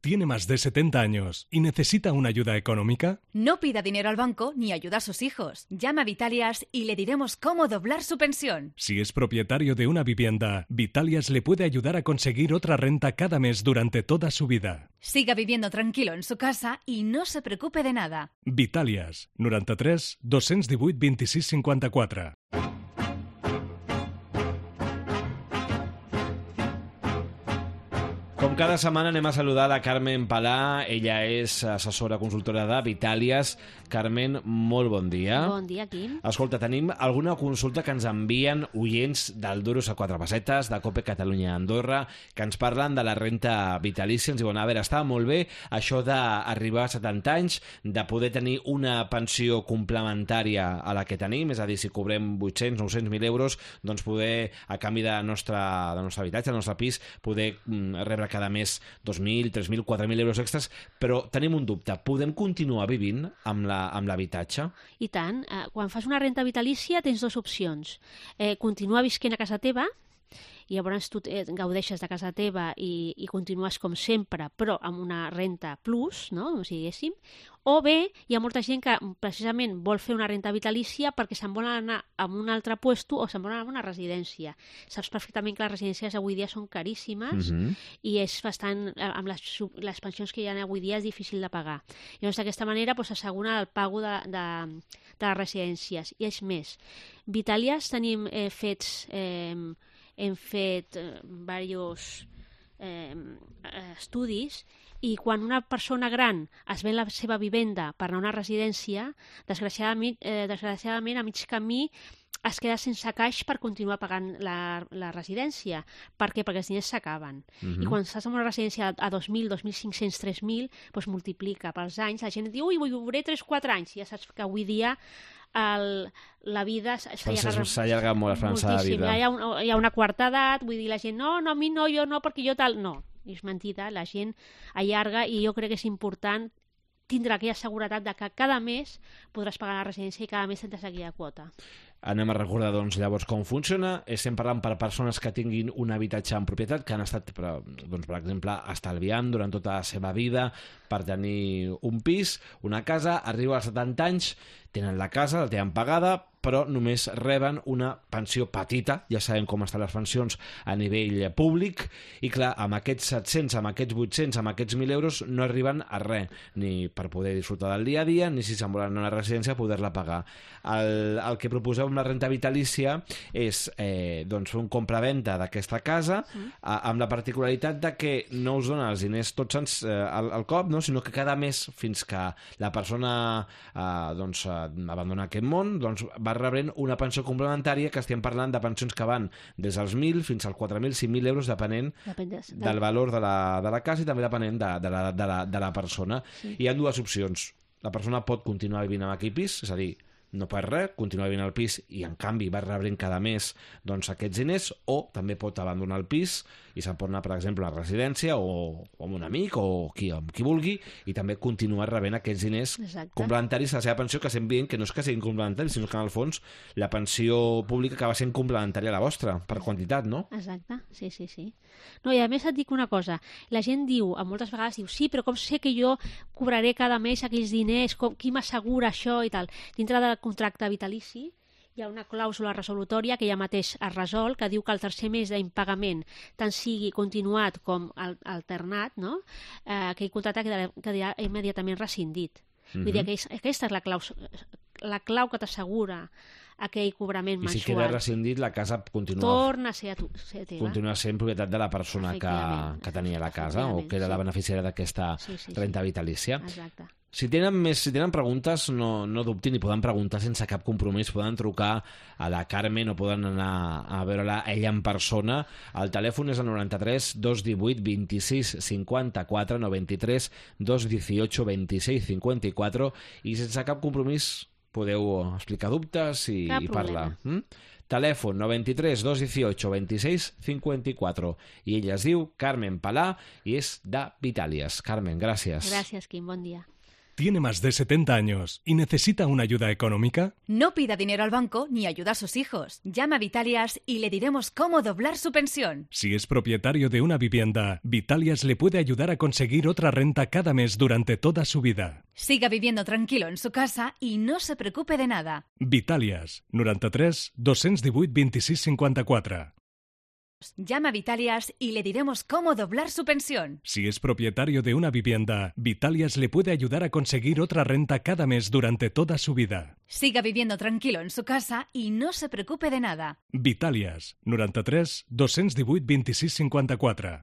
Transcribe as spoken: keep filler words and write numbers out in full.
tiene más de setenta años y necesita una ayuda económica? No pida dinero al banco ni ayuda a sus hijos. Llama a Vitalias y le diremos cómo doblar su pensión. Si es propietario de una vivienda, Vitalias le puede ayudar a conseguir otra renta cada mes durante toda su vida. Siga viviendo tranquilo en su casa y no se preocupe de nada. Vitalias, noranta-tres dos-cents divuit vint-i-sis cinquanta-quatre. Com cada setmana anem a saludar la Carmen Palà. Ella és assessora consultora de Vitalias. Carmen, molt bon dia. Bon dia, Quim. Escolta, tenim alguna consulta que ens envien oients del Duros a quatre pessetes, de Cope Catalunya Andorra, que ens parlen de la renta vitalícia. Ens diuen, a veure, està molt bé això d'arribar a setanta anys, de poder tenir una pensió complementària a la que tenim, és a dir, si cobrem vuit-cents, nou-cents mil euros, doncs poder, a canvi de nostre, de nostre habitatge, del nostre pis, poder mm, rebre cada mes dos mil, tres mil, quatre mil euros extras, però tenim un dubte. Podem continuar vivint amb la amb l'habitatge? I tant. Eh, quan fas una renta vitalícia tens dues opcions. Eh, continuar visquent a casa teva, i llavors tu eh, gaudeixes de casa teva i, i continues com sempre, però amb una renta plus, no? O sigui, diguéssim. O bé, hi ha molta gent que precisament vol fer una renta vitalícia perquè se'n vol anar a un altre puesto o se'n vol anar a una residència. Saps perfectament que les residències avui dia són caríssimes Mhm. i és bastant, amb les, sub- les pensions que hi ha avui dia és difícil de pagar. Llavors, d'aquesta manera doncs, s'assegura el pago de, de, de les residències. I és més, Vitalias tenim eh, fets... Eh, hem fet eh, diversos eh, estudis i quan una persona gran es ven la seva vivenda per anar a una residència, desgraciadament, eh, desgraciadament a mig camí es queda sense caix per continuar pagant la, la residència. Per què? Perquè els diners s'acaben. Mhm. I quan estàs en una residència a dos mil, dos mil cinc-cents, tres mil, doncs multiplica pels anys. La gent diu, ui, viuré tres quatre anys. I ja saps que avui dia el, la vida s'allarga S'allarga molt l'esperança de moltíssim. vida. Hi ha, un, hi ha una quarta edat, vull dir, la gent, no, no, a mi no, jo no, perquè jo tal... No, és mentida, la gent allarga i jo crec que és important tindre aquella seguretat de que cada mes podràs pagar la residència i cada mes tindràs aquella quota. Anem a recordar, doncs, llavors com funciona. Estem parlant per persones que tinguin un habitatge en propietat, que han estat, per, doncs, per exemple, estalviant durant tota la seva vida per tenir un pis, una casa, arriba als setanta anys, tenen la casa, la tenen pagada, però només reben una pensió petita, ja sabem com estan les pensions a nivell públic, i clar, amb aquests set-cents, amb aquests vuit-cents, amb aquests mil euros no arriben a res, ni per poder disfrutar del dia a dia, ni si se'n volen anar a una residència poder-la pagar. El, el que proposeu amb la renta vitalícia és eh, doncs fer un compra-venta d'aquesta casa, mm. a, amb la particularitat de que no us dona els diners tots ens, eh, al, al cop, no? Sinó que cada mes, fins que la persona eh, doncs, eh, abandona aquest món, doncs va rebent una pensió complementària, que estem parlant de pensions que van des dels mil fins als quatre mil, cinc mil euros, depenent Depèn de... del valor de la, de la casa i també depenent de, de, la, de, la, de la persona. Sí. Hi ha dues opcions. La persona pot continuar vivint en aquell pis, és a dir, no perd res, continua vivint al pis i en canvi va rebrent cada mes doncs, aquests diners, o també pot abandonar el pis i se'n pot anar, per exemple, a la residència o, o amb un amic o qui, amb qui vulgui, i també continuar rebent aquests diners Exacte. complementaris a la seva pensió, que estem dient que no és que siguin complementaris, sinó que en el fons la pensió pública acaba sent complementària a la vostra, per quantitat, no? Exacte, sí, sí, sí. No, i a més et dic una cosa, la gent diu, a moltes vegades diu, sí, però com sé que jo cobraré cada mes aquells diners, com, qui m'assegura això i tal. Dintre del contracte vitalici hi ha una clàusula resolutòria que ja mateix es resol, que diu que el tercer mes d'impagament tant sigui continuat com al, alternat, no? eh, aquell contracte quedarà, quedarà immediatament rescindit. Mm-hmm. Vull dir que és, aquesta és la clau, la clau que t'assegura aquell cobrament I mensual. si queda rescindit, la casa continua, Torna a ser, a tu, ser teva. continua sent propietat de la persona que, que tenia la casa o que era la beneficiària d'aquesta sí, sí, sí. renta vitalícia. Exacte. Si tenen més, si tenen preguntes, no, no dubtin i poden preguntar sense cap compromís. Poden trucar a la Carmen o poden anar a veure-la ella en persona. El telèfon és el noranta-tres dos divuit vint-i-sis cinquanta-quatre, noranta-tres dos divuit vint-i-sis cinquanta-quatre, i sense cap compromís podeu explicar dubtes i, i parlar. Mm? Telèfon noranta-tres dos divuit vint-i-sis cinquanta-quatre. I ella es diu Carmen Palà i és de Vitalias. Carmen, gràcies. Gràcies, Quim. Bon dia. ¿Tiene más de setenta años y necesita una ayuda económica? No pida dinero al banco ni ayuda a sus hijos. Llama a Vitalias y le diremos cómo doblar su pensión. Si es propietario de una vivienda, Vitalias le puede ayudar a conseguir otra renta cada mes durante toda su vida. Siga viviendo tranquilo en su casa y no se preocupe de nada. Vitalias, noranta-tres dos-cents divuit vint-i-sis cinquanta-quatre. Llama a Vitalias y le diremos cómo doblar su pensión. Si es propietario de una vivienda, Vitalias le puede ayudar a conseguir otra renta cada mes durante toda su vida. Siga viviendo tranquilo en su casa y no se preocupe de nada. Vitalias, noranta-tres dos-cents divuit vint-i-sis cinquanta-quatre.